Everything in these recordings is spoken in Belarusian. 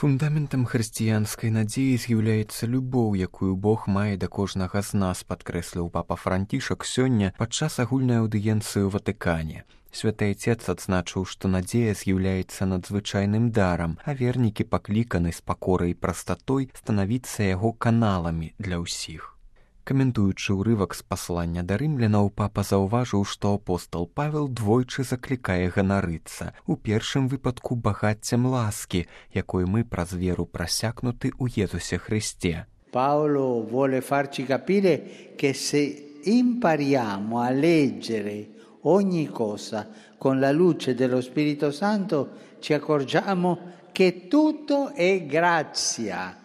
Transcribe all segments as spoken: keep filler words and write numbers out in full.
Фундаментам хрысціянскай надзеі з'яўляецца любоў, якую Бог мае да кожнага з нас, падкрэсліў папа Францішак сёння падчас агульнай аўдыенцыі ў Ватыкане. Святы Отец адзначыў, што надзея з'яўляецца надзвычайным дарам, а вернікі пакліканы з пакорай і прастатой станавіцца яго каналамі для ўсіх. Каментуючы ўрывак з паслання да рымлянаў, папа заўважыў, што апостол Павел двойчы заклікае ганарыцца, у першым выпадку багаццем ласкі, якой мы праз веру прасякнуты ў Езусе Христе. Paolo vuole farci capire che se impariamo a leggere ogni cosa con la luce dello Spirito Santo ci accorgiamo che tutto è grazia,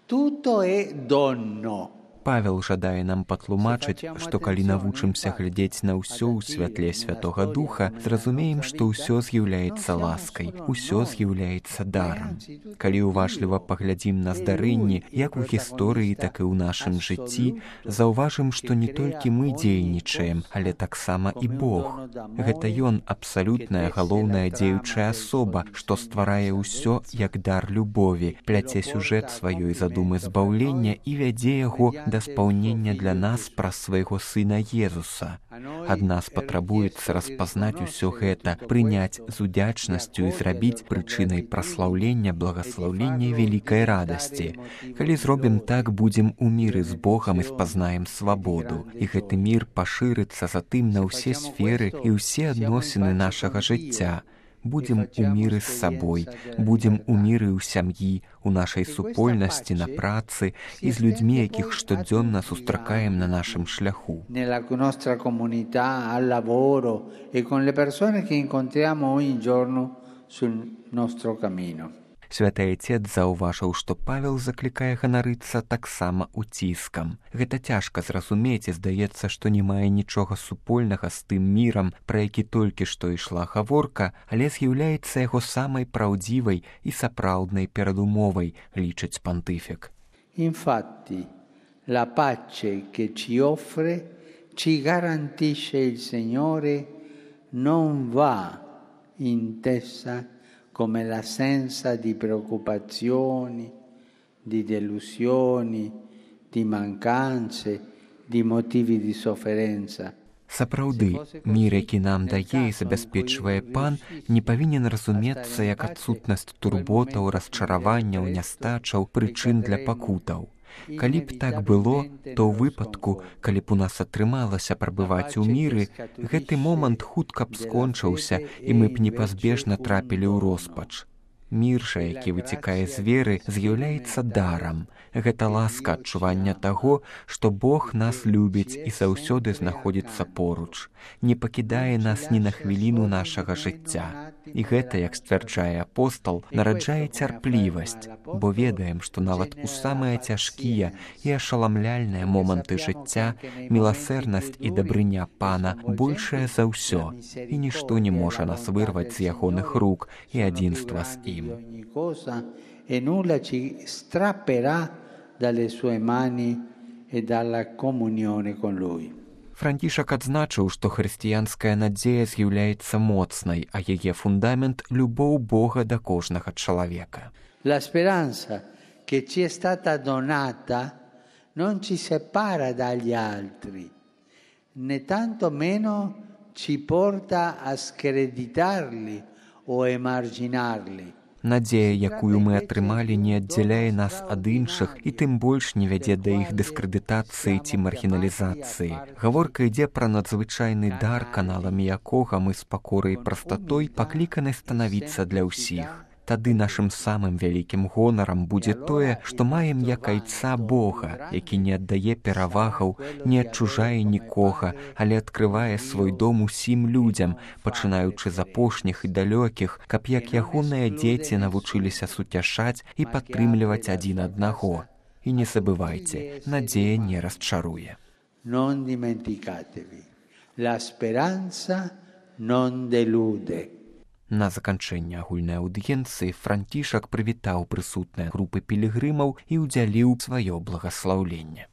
tutto è dono. Павел жадае нам патлумачыць, што калі навучымся глядзець на ўсё ў святле Святога Духа, зразумеем, што ўсё з'яўляецца ласкай, усё з'яўляецца дарам. Калі уважліва паглядзім на здарэнні, як у гісторыі, так і ў нашым жыцці, заўважым, што не толькі мы дзейнічаем, але таксама і Бог. Гэта Ён абсалютная галоўная дзеючая асоба, што стварае ўсё як дар любові, пляце сюжэт сваёй задумы збаўлення і вядзе яго да спаўнення для нас праз свайго сына Езуса. Ад нас патрабуецца распазнаць усё гэта, прыняць з удзячнасцю і зрабіць прычынай праслаўлення, благаслаўлення вялікай радасці. Калі зробім так, будзем у міры з Богам і спазнаем свабоду. І гэты мір пашырыцца затым на ўсе сферы і ўсе адносіны нашага жыцця. Будзем у міры з сабой, будзем у міры ў сям'і, у нашай супольнасці, на працы і з людзьмі, якіх штодзённа сустракаем на нашым шляху. Nella nostra comunità, al lavoro e con le persone che incontriamo ogni giorno sul nostro cammino. Святы Отец заўважыў, што Павел заклікае ганарыцца таксама уціскам. Гэта цяжка зразумець і здаецца, што не мае нічога супольнага з тым мірам, пра які толькі што ішла гаворка, але з'яўляецца яго самай праўдзівай і сапраўднай перадумовай, лічыць пантыфік. Infatti, la pace che ci offre, ci garantisce il Signore, non va intesa come l'assenza di preoccupazioni, di delusioni, di mancanze, di motivi di sofferenza. Сапраўды, мір, які нам дае і забяспечвае Пан, не павінен разумецца як адсутнасць турботаў, расчараванняў, нястачаў, прычын для пакутаў. Калі б так было, то ў выпадку, калі б у нас атрымалася прабываць у міры, гэты момант хутка б скончыўся, і мы б непазбежна трапілі ў роспач. Мір жа, які выцякае з веры, з'яўляецца дарам. Гэта ласка адчування таго, што Бог нас любіць і заўсёды знаходзіцца поруч, не пакідае нас ні на хвіліну нашага жыцця. І гэта, як сцвярджае апостол, нараджае цярплівасць, бо ведаем, што нават у самыя цяжкія і ашаламляльныя моманты жыцця міласэрнасць і дабрыня Пана большая за ўсё, і нішто не можа нас вырваць з ягоных рук і адзінства з ім. Ogni cosa e nulla ci strapperà dalle sue mani e dalla comunione con lui. Францішак адзначыў, што хрысціянская надзея з'яўляецца моцнай, а яе фундамент — любоў Бога да кожнага чалавека. La speranza che ci è stata donata non ci separa dagli altri, né tanto meno ci porta a screditarli o emarginarli. Надзея, якую мы атрымалі, не аддзяляе нас ад іншых і тым больш не вядзе да іх дыскрэдытацыі ці маргіналізацыі. Гаворка ідзе пра надзвычайны дар, каналамі якога мы з пакорай і прастатой пакліканы станавіцца для ўсіх. Тады нашым самым вялікім гонарам будзе тое, што маем як айца Бога, які не аддае перавагаў, не адчужае нікога, але адкрывае свой дом усім людзям, пачынаючы з апошніх і далёкіх, каб як ягоныя дзеці навучыліся суцяшаць і падтрымліваць адзін аднаго. І не забывайце, надзея не расчаруе. Non dimenticatevi, la speranza non delude. На заканчэнне агульнай аўдыенцыі Францішак прывітаў прысутныя групы пілігрымаў і ўдзяліў сваё благаслаўленне.